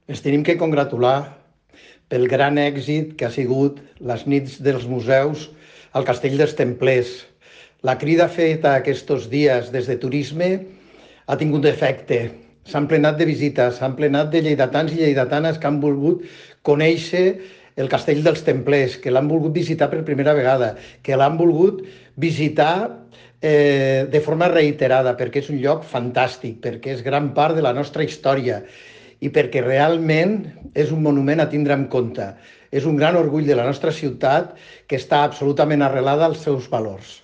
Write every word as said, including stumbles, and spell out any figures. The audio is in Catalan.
Ens tenim que congratular pel gran èxit que ha sigut les nits dels museus al Castell dels Templers. La crida feta aquests dies des de turisme ha tingut efecte. S'han plenat de visites, s'han plenat de lleidatans i lleidatanes que han volgut conèixer el Castell dels Templers, que l'han volgut visitar per primera vegada, que l'han volgut visitar eh, de forma reiterada, perquè és un lloc fantàstic, perquè és gran part de la nostra història i perquè realment és un monument a tindre en compte. És un gran orgull de la nostra ciutat que està absolutament arrelada als seus valors.